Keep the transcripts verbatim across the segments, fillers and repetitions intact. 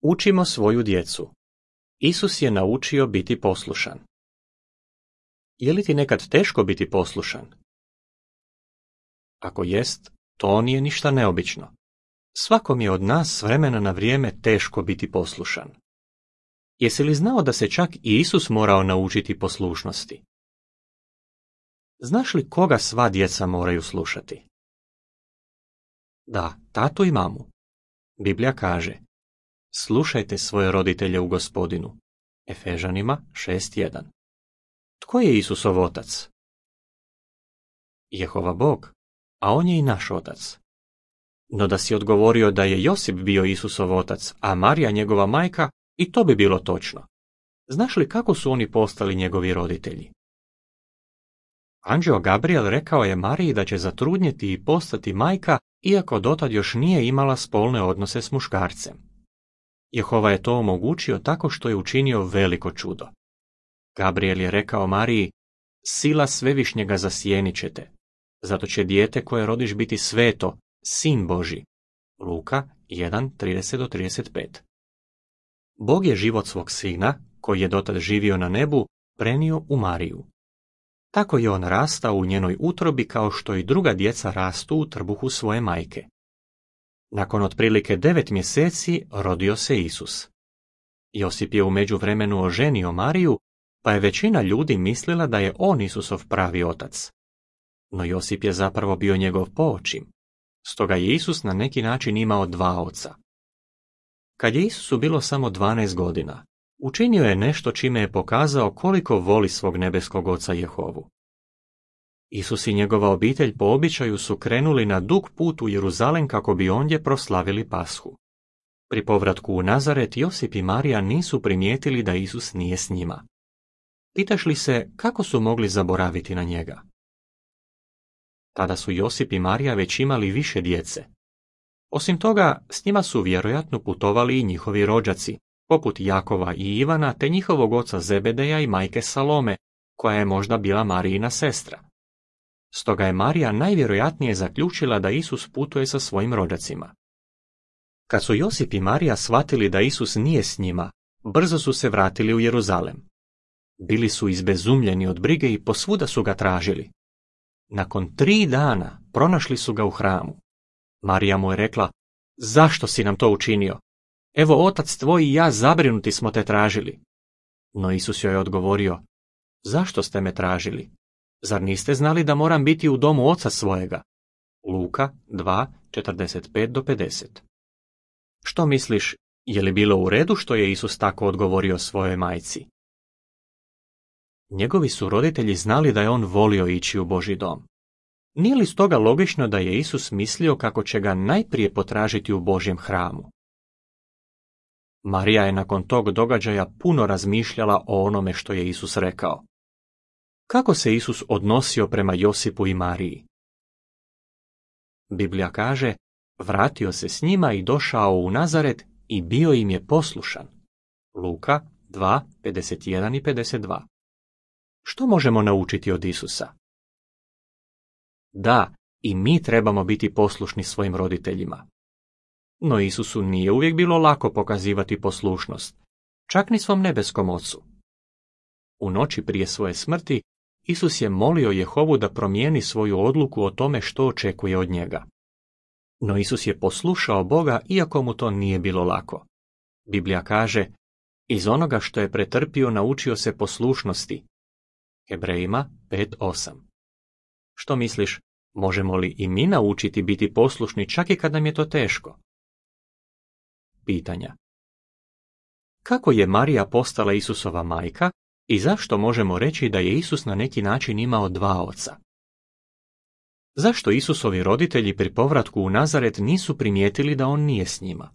Učimo svoju djecu. Isus je naučio biti poslušan. Je li ti nekad teško biti poslušan? Ako jest, to nije ništa neobično. Svakom je od nas s vremena na vrijeme teško biti poslušan. Jesi li znao da se čak i Isus morao naučiti poslušnosti? Znaš li koga sva djeca moraju slušati? Da, tatu i mamu. Biblija kaže: slušajte svoje roditelje u Gospodinu. Efežanima šest jedan. Tko je Isusov otac? Jehova Bog, a on je i naš otac. No da si odgovorio da je Josip bio Isusov otac, a Marija njegova majka, i to bi bilo točno. Znaš li kako su oni postali njegovi roditelji? Anđeo Gabriel rekao je Mariji da će zatrudnjeti i postati majka, iako dotad još nije imala spolne odnose s muškarcem. Jehova je to omogućio tako što je učinio veliko čudo. Gabriel je rekao Mariji: sila svevišnjega zasjenit će te, zato će dijete koje rodiš biti sveto, sin Božji. Luka jedan trideset do trideset pet. Bog je život svog sina, koji je dotad živio na nebu, prenio u Mariju. Tako je on rastao u njenoj utrobi kao što i druga djeca rastu u trbuhu svoje majke. Nakon otprilike devet mjeseci rodio se Isus. Josip je u međuvremenu oženio Mariju, pa je većina ljudi mislila da je on Isusov pravi otac. No Josip je zapravo bio njegov poočim. Stoga je Isus na neki način imao dva oca. Kad je Isusu bilo samo dvanaest godina, učinio je nešto čime je pokazao koliko voli svog nebeskog oca Jehovu. Isus i njegova obitelj po običaju su krenuli na dug put u Jeruzalem kako bi ondje proslavili Pashu. Pri povratku u Nazaret Josip i Marija nisu primijetili da Isus nije s njima. Pitaš li se kako su mogli zaboraviti na njega? Tada su Josip i Marija već imali više djece. Osim toga, s njima su vjerojatno putovali i njihovi rođaci, poput Jakova i Ivana, te njihovog oca Zebedeja i majke Salome, koja je možda bila Marijina sestra. Stoga je Marija najvjerojatnije zaključila da Isus putuje sa svojim rođacima. Kad su Josip i Marija shvatili da Isus nije s njima, brzo su se vratili u Jeruzalem. Bili su izbezumljeni od brige i posvuda su ga tražili. Nakon tri dana pronašli su ga u hramu. Marija mu je rekla: zašto si nam to učinio? Evo, otac tvoj i ja zabrinuti smo te tražili. No Isus joj je odgovorio: zašto ste me tražili? Zar niste znali da moram biti u domu oca svojega? Luka dva četrdeset pet do pedeset. Što misliš, je li bilo u redu što je Isus tako odgovorio svojoj majci? Njegovi su roditelji znali da je on volio ići u Božji dom. Nije li stoga logično da je Isus mislio kako će ga najprije potražiti u Božjem hramu? Marija je nakon tog događaja puno razmišljala o onome što je Isus rekao. Kako se Isus odnosio prema Josipu i Mariji? Biblija kaže: vratio se s njima i došao u Nazaret i bio im je poslušan. Luka dva pedeset jedan i pedeset dva. Što možemo naučiti od Isusa? Da, i mi trebamo biti poslušni svojim roditeljima. No Isusu nije uvijek bilo lako pokazivati poslušnost, čak ni svom nebeskom ocu. U noći prije svoje smrti Isus je molio Jehovu da promijeni svoju odluku o tome što očekuje od njega. No Isus je poslušao Boga iako mu to nije bilo lako. Biblija kaže: iz onoga što je pretrpio naučio se poslušnosti. Hebrejima pet osam. Što misliš, možemo li i mi naučiti biti poslušni čak i kad nam je to teško? Pitanja. Kako je Marija postala Isusova majka i zašto možemo reći da je Isus na neki način imao dva oca? Zašto Isusovi roditelji pri povratku u Nazaret nisu primijetili da on nije s njima?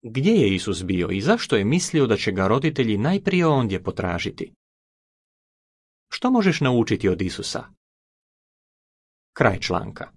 Gdje je Isus bio i zašto je mislio da će ga roditelji najprije ondje potražiti? Što možeš naučiti od Isusa? Kraj članka.